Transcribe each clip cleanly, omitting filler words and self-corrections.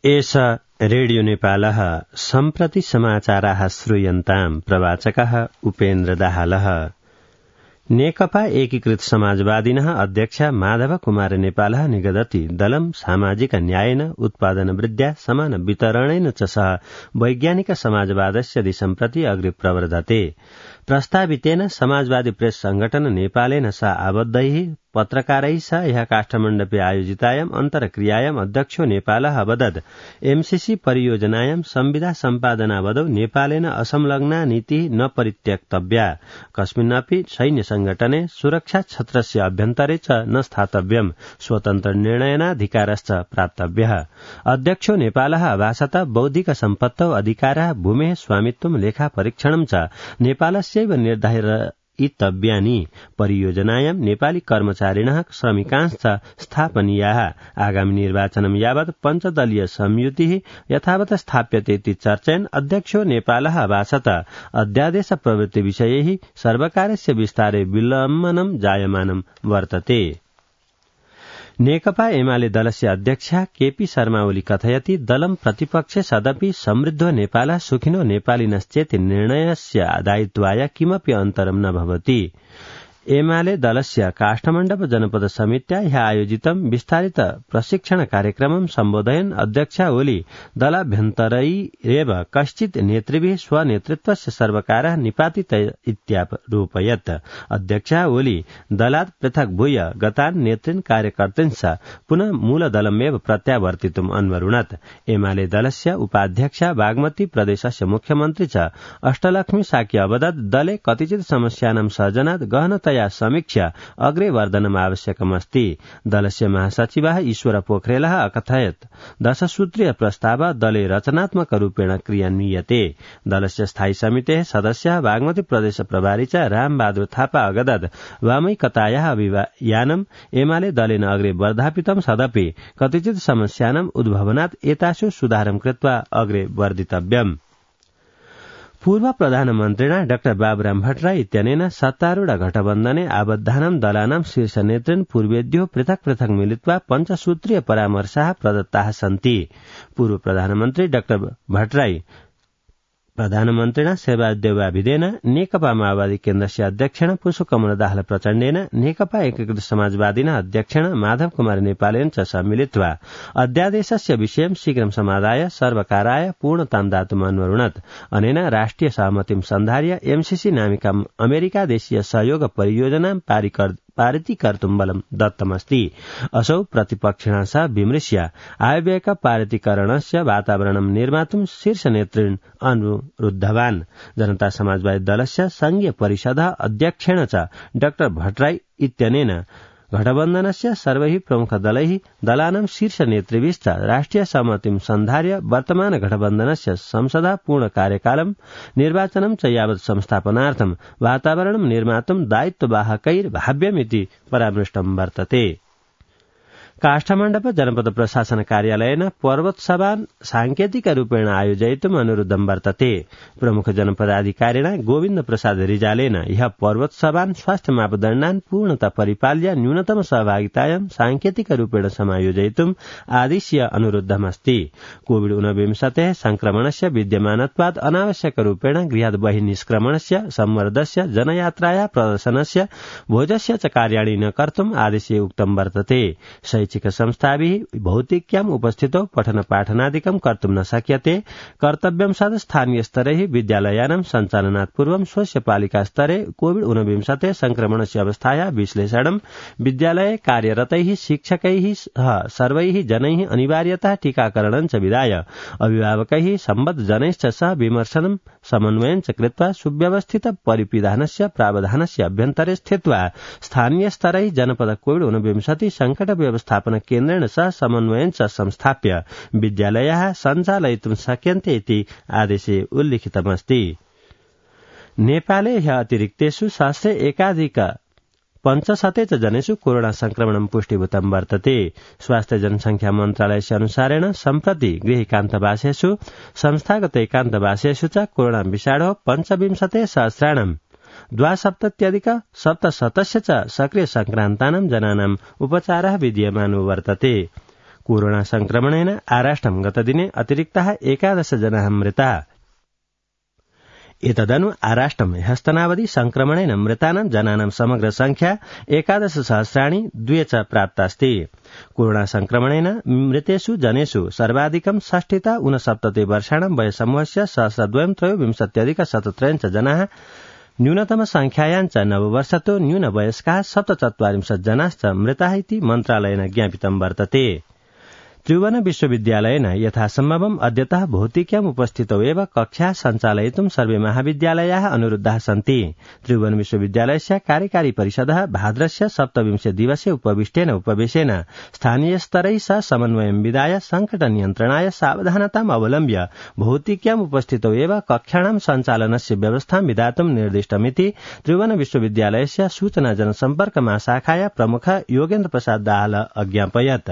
एष रेडियो नेपालः सम्प्रति समाचाराः श्रूयन्ताम्। प्रवाचकः उपेन्द्र दाहालः। नेकपा एकीकृत समाजवादिनः अध्यक्ष माधव कुमार नेपालः निगदति दलं सामाजिक न्यायेन उत्पादन वृद्ध्या समान वितरणेन च सह वैज्ञानिक समाजवादस्य दिशं प्रति अग्रे प्रवर्धते। प्रस्तावितेन समाजवादी प्रेस संगठन नेपालेन सा आबद्धैः पत्रकारैः सह ह्यः काष्ठमण्डपे आयोजितायाम् अन्तर्क्रियायाम् अध्यक्षो नेपालः अवदत् एमसीसी परियोजनायां संविदा सम्पादनावधौ नेपालेन असंलग्ना नीतिः न परित्यक्तव्या, कस्मिन्नपि सैन्य संगठने सुरक्षा छत्रस्य अभ्यन्तरे च न स्थातव्यम्, स्वतन्त्र निर्णयनाधिकारश्च प्राप्तव्यः। अध्यक्षो नेपालः भाषतः बौद्धिक सम्पत्तौ अधिकारः भूमेः स्वामित्वं लेखा परीक्षणं च नेपालस्यैव निर्धारितव्यानि। परियोजनायां नेपाली कर्मचारिणः श्रमिकांश्च स्थापनीयाः। आगामि निर्वाचनं यावत् पञ्चदलीय संयुतिः यथावत् स्थाप्यते इति चर्चयन् अध्यक्षो नेपालः भाषतः अध्यादेश प्रवृत्ति विषयैः सर्वकारस्य विस्तारे विलम्बनं जायमानं वर्तते। नेकपा एमाले दलस्य अध्यक्ष केपी शर्मा ओली कथयति दलं प्रतिपक्षे सदपि समृद्धो नेपालः सुखिनो नेपालिनश्चेति निर्णयस्य दायित्वाय किमपि अन्तरं न भवति। एमाले दलस्य काष्ठमण्डप जनपद समित्या ह्यः आयोजितं विस्तारित प्रशिक्षण कार्यक्रमं सम्बोधयन् अध्यक्ष ओली दलाभ्यन्तरैरेव कश्चित् नेतृभिः स्वनेतृत्वस्य सर्वकारः निपातित इत्यारोपयत्। अध्यक्ष ओली दलात् पृथक् भूय गतान् नेतृन् कार्यकर्तृंश्च पुनः मूलदलमेव प्रत्यावर्तितुम् अन्वरुणत्। एमाले दलस्य उपाध्यक्ष बागमती प्रदेशस्य मुख्यमन्त्री च अष्टलक्ष्मी साकी अवदत् दले कतिचित् समस्यानां सर्जनात् गहनतया समीक्षा अग्रे वर्धनम् आवश्यकमस्ति। दलस्य महासचिवः ईश्वर पोखरेलः अकथयत् 10 सूत्रीय प्रस्ताव दले रचनात्मक रूपेण क्रियान्वियते। दलस्य स्थायी समितेः सदस्यः बागमती प्रदेश प्रभारी च रामबहादुर थापा अगदत् वामैकतायाः अभियानम् एमाले दलेन अग्रे वर्धापितं सदपि कतिचित् समस्यानाम् उद्भवनात् एतासु सुधारं कृत्वा अग्रे वर्धितव्यम्। पूर्व प्रधानमन्त्रिणा डाक्टर बाबुराम भट्टराई इत्यनेन सत्तारूढ गठबन्धने आबद्धानां दलानां शीर्ष नेतृन् पूर्वेद्यो पृथक् पृथक् मिलित्वा पञ्चसूत्रीय परामर्शाः प्रदत्ताः सन्ति। पूर्व प्रधानमन्त्री डाक्टर भट्टराई प्रधानमन्त्रिणा शेरबहादुर नेकपा माओवादी केन्द्रस्य अध्यक्षेण पुष्पकमल दाहाल प्रचण्डेन नेकपा एकीकृत समाजवादिनः अध्यक्षेण माधव कुमार नेपालेन च सम्मिलित्वा अध्यादेशस्य विषयं शीघ्रं समाधाय सर्वकाराय पूर्णतां दातुम् अन्वरुणत्। अनेन राष्ट्रिय सहमतिं सन्धार्य एमसीसी नामिका अमेरिका देशीय सहयोग परियोजनां पारितीकर्तुं बलं दत्तमस्ति। असौ प्रतिपक्षिणा सह विमृश्य आयव्ययक पारितीकरणस्य वातावरणं निर्मातुं शीर्ष नेतृन् अनुरुद्धवान्। जनता समाजवादी दलस्य संघीय परिषदः अध्यक्षेण च डाक्टर भट्टराई इत्यनेन गठबन्धनस्य सर्वैः प्रमुखदलैः दलानां शीर्ष नेतृभिश्च राष्ट्रिय सहमतिं सन्धार्य वर्तमान गठबन्धनस्य संसदः पूर्ण कार्यकालं निर्वाचनं च यावत् संस्थापनार्थं वातावरणं निर्मातुं दायित्ववाहकैर्भाव्यमिति परामृष्टं वर्तते। काष्ठमण्डप जनपद प्रशासन कार्यालयेन पर्वोत्सवान् सांकेतिक रूपेण आयोजयितुम् अनुरोधं वर्तते। प्रमुख जनपदाधिकारिणा गोविन्द प्रसाद रिजालेन ह्यः पर्वोत्सवान् स्वास्थ्य मापदण्डान् पूर्णतः परिपाल्य न्यूनतम सहभागितायां सांकेतिक रूपेण समायोजयितुम् आदिश्य अनुरोधमस्ति। कोविड-19 संक्रमणस्य विद्यमानत्वात् अनावश्यक रूपेण गृहात् बहिर्निष्क्रमणस्य, संवर्धस्य, जनयात्राया प्रदर्शनस्य, भोजस्य च कार्याणि न कर्तुम् आदेशे उक्तं वर्तते। शैक्षिक संस्थाभिः भौतिक्याम् उपस्थितौ पठन पाठनादिकं कर्तुं न शक्यते। कर्तव्यं सद स्थानीय स्तरैः विद्यालयानां सञ्चालनात् पूर्वं स्वस्य पालिका स्तरे कोविड-19 संक्रमणस्य अवस्थायाः विश्लेषणं विद्यालये कार्यरतैः शिक्षकैः सह सर्वैः जनैः अनिवार्यतः टीकाकरणं च विधाय अभिभावकैः सम्बद्ध जनैश्च सह विमर्शनं समन्वयं च कृत्वा सुव्यवस्थित परिपिधानस्य प्रावधानस्य अभ्यन्तरे स्थित्वा स्थानीय स्तरैः जनपद कोविड-19 संकट व्यवस्थापन केन्द्रेण सह समन्वयं च संस्थाप्य विद्यालयाः सञ्चालयितुं शक्यन्ते इति आदेशे उल्लिखितमस्ति। नेपाले ह्यः अतिरिक्तेषु सहस्रे एकाधिक 500 च जनेषु कोरोना संक्रमणं पुष्टिभूतं वर्तते। स्वास्थ्य जनसंख्या मन्त्रालयस्य अनुसारेण सम्प्रति गृहेकान्तवासेषु संस्थागत एकान्तवासेषु च कोरोना विषाणोः 25,000 द्वासप्तत्यधिक 700 च सक्रिय संक्रान्तानां जनानाम् उपचारः विद्यमानो वर्तते। कोरोना संक्रमणेन आराष्ट्रं गतदिने अतिरिक्ताः 11 जनाः मृताः। एतदनु आराष्ट्रं ह्यस्तनावधि संक्रमणेन मृतानां जनानां समग्र संख्या 11,000,200 च प्राप्तास्ति। कोरोना संक्रमणेन मृतेषु जनेषु सर्वाधिकं 60-69 वर्षाणां वयसमूहस्य 1,223,173 जनाः, न्यूनतम संख्यायां च नववर्षतो न्यूनवयस्काः 47 जनाश्च मृताः इति मन्त्रालयेन ज्ञापितं वर्तते। त्रिभुवन विश्वविद्यालयेन यथासम्भवम् अद्यतः भौतिक्याम् उपस्थितौ एव कक्षा सञ्चालयितुं सर्वे महाविद्यालयाः अनुरुद्धाः सन्ति। त्रिभुवन विश्वविद्यालयस्य कार्यकारी परिषदः भाद्रस्य 27 दिवसे उपविष्टेन उपवेशेन स्थानीयस्तरैः सह समन्वयं विधाय संकटनियन्त्रणाय सावधानताम् अवलम्ब्य भौतिक्याम् उपस्थितौ एव कक्षाणां सञ्चालनस्य व्यवस्थां विधातुं निर्दिष्टमिति त्रिभुवन विश्वविद्यालयस्य सूचना जनसम्पर्क महाशाखाया प्रमुख योगेन्द्र प्रसाद दाहाल अज्ञापयत्।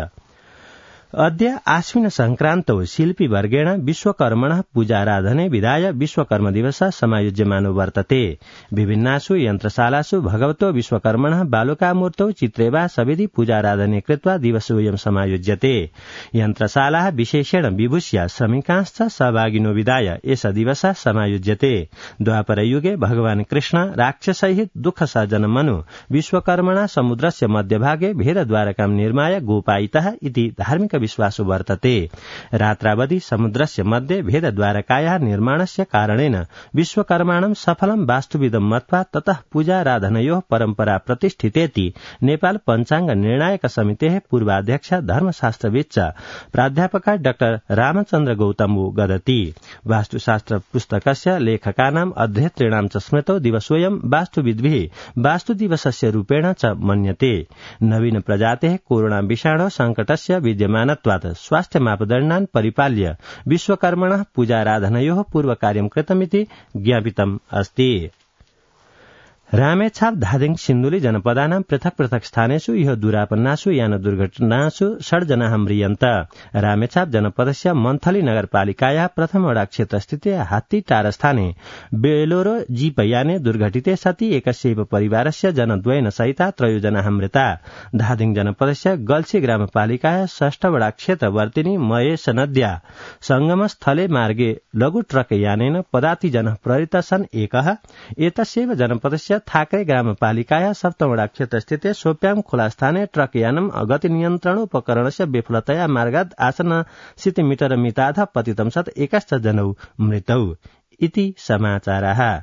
अद्य आश्विन संक्रान्तौ शिल्पीवर्गेण विश्वकर्मणः पूजाराधने विधाय विश्वकर्म दिवसः समायोज्यमानो वर्तते। विभिन्नासु यन्त्रशालासु भगवतो विश्वकर्मणः बालुकामूर्तौ चित्रे वा सविधि पूजाराधने कृत्वा दिवसोऽयं समायोज्यते। यन्त्रशालाः विशेषेण विभूष्य श्रमिकांश्च सहभागिनो विधाय एष दिवसः समायोज्यते। द्वापरयुगे भगवान् कृष्ण राक्षसैः दुःखसर्जनमनु विश्वकर्मणा समुद्रस्य मध्यभागे भेदद्वारकां निर्माय गोपायितः इति धार्मिक विश्वासो वर्तते। रात्रावधि समुद्रस्य मध्ये भेदद्वारकायाः निर्माणस्य कारणेन विश्वकर्माणं सफलं वास्तुविदं मत्वा ततः पूजाराधनयोः परम्परा प्रतिष्ठितेति नेपाल पञ्चाङ्ग निर्णायक समितेः पूर्वाध्यक्ष धर्मशास्त्रविद च प्राध्यापका डाक्टर रामचन्द्र गौतमो गदति। वास्तुशास्त्र पुस्तकस्य लेखकानाम् अध्येतॄणां च स्मृतौ दिवसोऽयं वास्तुविद्भिः वास्तुदिवसस्य रूपेण च मन्यते। नवीन प्रजातेः कोरोना विषाणो संकटस्य विद्यमान स्वास्थ्य मापदण्डान् परिपाल्य विश्वकर्मणः पूजाराधनयोः पूर्वकार्यं कृतमिति ज्ञापितम् अस्ति। रामेछाप धादिङ सिन्धुली जनपदानां पृथक पृथक स्थानेषु इह दुरापन्नासु यान दुर्घटनासु 6 जनाः म्रियन्त। रामेछाप जनपदस्य मन्थली नगरपालिकायाः प्रथम वडा क्षेत्रस्थिते हात्तीटार स्थाने बेलोरो जीप याने दुर्घटिते सति एकस्यैव परिवारस्य जनद्वयेन सहिता 3 जनाः मृता। धादिङ जनपदस्य गल्सी ग्रामपालिकायाः 6 वडा क्षेत्रवर्तिनी महेश नद्या संगमस्थले मार्गे लघु ट्रक यानेन पदाति जनः प्रहृतः सन् एकः। एतस्यैव जनपदस्य थाकरे ग्रामपालिकाया 7 वडा क्षेत्रस्थिते सोप्याम खोला स्थाने ट्रक यानम् गतिनियन्त्रणोपकरणस्य विफलतया मार्गात् आसन्न मीटर मिताध पतितं सत् 11 जनौ मृतौ इति समाचारः।